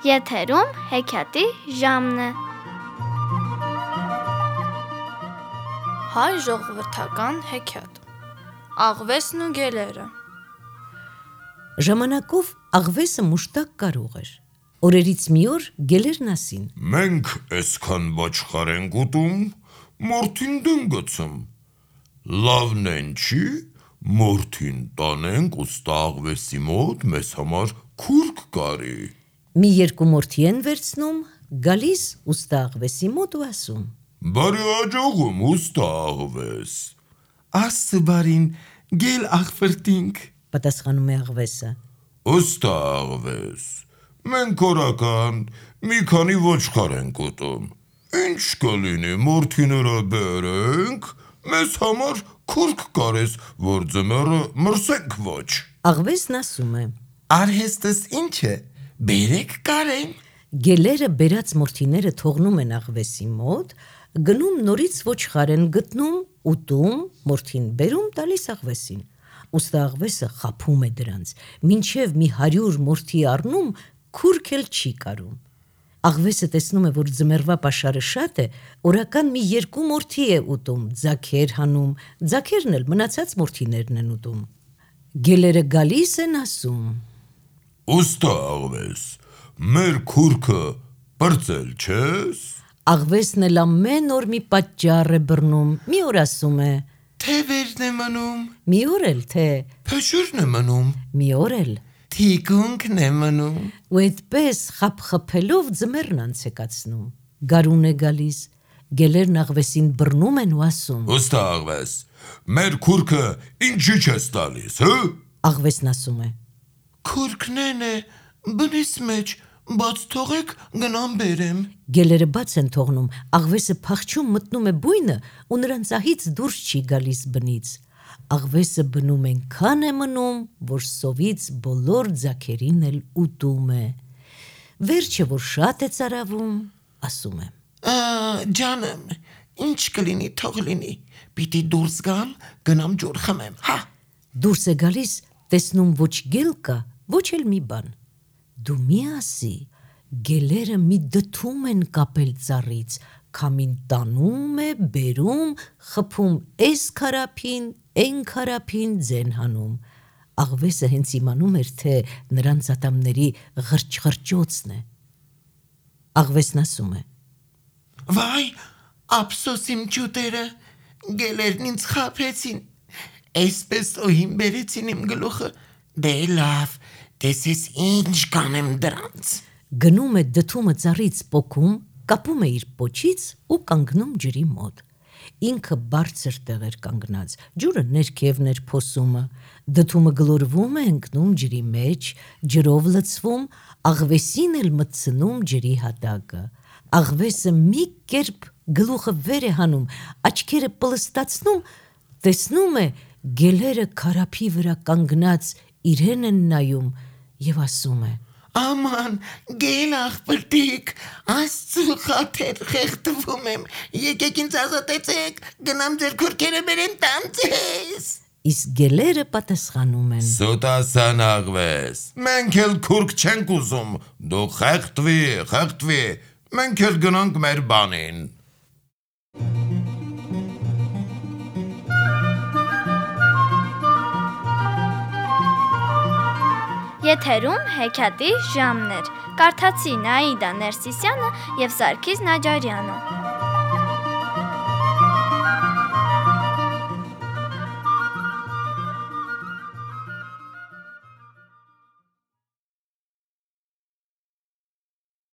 Եթերում հեքիաթի ժամն է։ Հայ ժողովրդական հեքիաթ Աղվեսն ու գելերը։ Ժամանակով աղվեսը մուշտակ կարող էր։ Օրերից մի օր գելերն ասին. Մենք այսքան ոչխար ենք ուտում, մորթին դնգցում։ Լավն են չի, մորթին տանենք ուստա աղվեսի մոտ մեզ համար քուրք կարի։ Մի երկու մորթի են վերցնում, գալիս ուստա աղվեսի մոտ ու ասում. Բարի աջողում ուստա աղվես։ Աստծո բարին, գել աղվրտինք, պատասխանում է աղվեսը։ Ուստա աղվես, մենք օրական մի քանի ոչխար ենք ուտում։ Ինչ կլինի մորթիները բերենք, մեզ համար քուրք կարես, որ ձմեռը մրսենք ոչ։ Աղվեսն ասում է. արհեստս ինչ է, բերեք կարեն։ Գելերը բերած մորթիները թողնում են աղվեսի մոտ, գնում նորից ոչխար են գտնում, ուտում, մորթին բերում, տալիս աղվեսին։ Ուստա աղվեսը խաբում է դրանց, մինչև մի 100 մորթի առնում, քուրք էլ չի կարում։ Աղվեսը տեսնում է, որ ձմեռվա պաշարը շատ է, օրական մի 2 մորթի է ուտում, ձագեր հանում, ձագերն էլ մնացած մորթիներն են ուտում։ Գելերը գալիս են ասում. Ուստա աղվես, մեր քուրքը պրծել չես։ Աղվեսն էլ ամեն օր մի պատճառ է բռնում, մի օր ասում է. Թևերն է մնում, մի օր էլ թե, փշուրն է մնում, մի օր էլ։ թիկունքն է մնում։ Ու այդպես խփխփելով ձմեռն անցեկացնում։ Գարուն է գալիս, գելերն աղվեսին բռնում են ու ասում. Ուստա աղվես, մեր քուրքը ինչի չես տալիս, հը։ Աղվեսն ասում է. Քուրքնեն է, բնիս մեջ, բաց թողեք գնամ բերեմ։ Գելերը բաց են թողնում, աղվեսը փախչում մտնում է բույնը ու նրան ծահից դուրս չի գալիս բնից։ Աղվեսը բնում ենքան է մնում, որ սովից բոլոր ձագերին էլ ուտում է։ Վերջը, որ շատ է ծարավում, ասում է. Ջանեմ, ինչ կլինի, թող լինի, պիտի դուրս գամ, գնամ ջուր խմեմ, հա։ Դուրս է գալիս, տեսնում ոչ գել կա, ոչ էլ մի բան։ Դու մի ասի, գելերը մի դդում են կապել ծառից, քամին տանում է, բերում, խփում էս քարափին, էն քարափին ձեն հանում։ Աղվեսը հենց իմանում էր, թե նրանց ատամների ղրճղրճոցն է։ Աղվեսն ասում է. Վայ, ափսոս իմ ջուտերը, գելերն ինձ խաբեցին, այսպես օհին բերեցին իմ գլուխը, դե լավ, տեսես ինչ կանեմ դրանց։ Գնում է դդումը ծառից պոկում, կապում է իր պոչից ու կանգնում ջրի մոտ։ Ինքը բարձր տեղ էր կանգնած, ջուրը ներքևն էր փոսումը, դդումը գլորվում է ընկնում ջրի մեջ, ջրով լցվում, աղվեսին էլ մտցնում ջրի հատակը։ Աղվեսը մի կերպ գլուխը վեր է հանում, աչքերը պլստացնում, տեսնում է գելերը քարափի վրա կանգնած իրեն են նայում և ասում է. Աման, գել աղբրտիկ, Աստծու խաթեր խեղդվում եմ, եկեք ինձ ազատեցեք, գնամ ձեր քուրքերը բերեմ տամ ձեզ։ Իսկ գելերը պատասխանում են. Սուտասան աղվես, մենք էլ քուրք չենք ուզում, դու խեղդվի, մենք էլ գնանք մեր բանին։ Եթերում հեքիաթի ժամն էր։ Կարդացին Աիդա Ներսիսյանը և Սարգիս Նաջարյանը։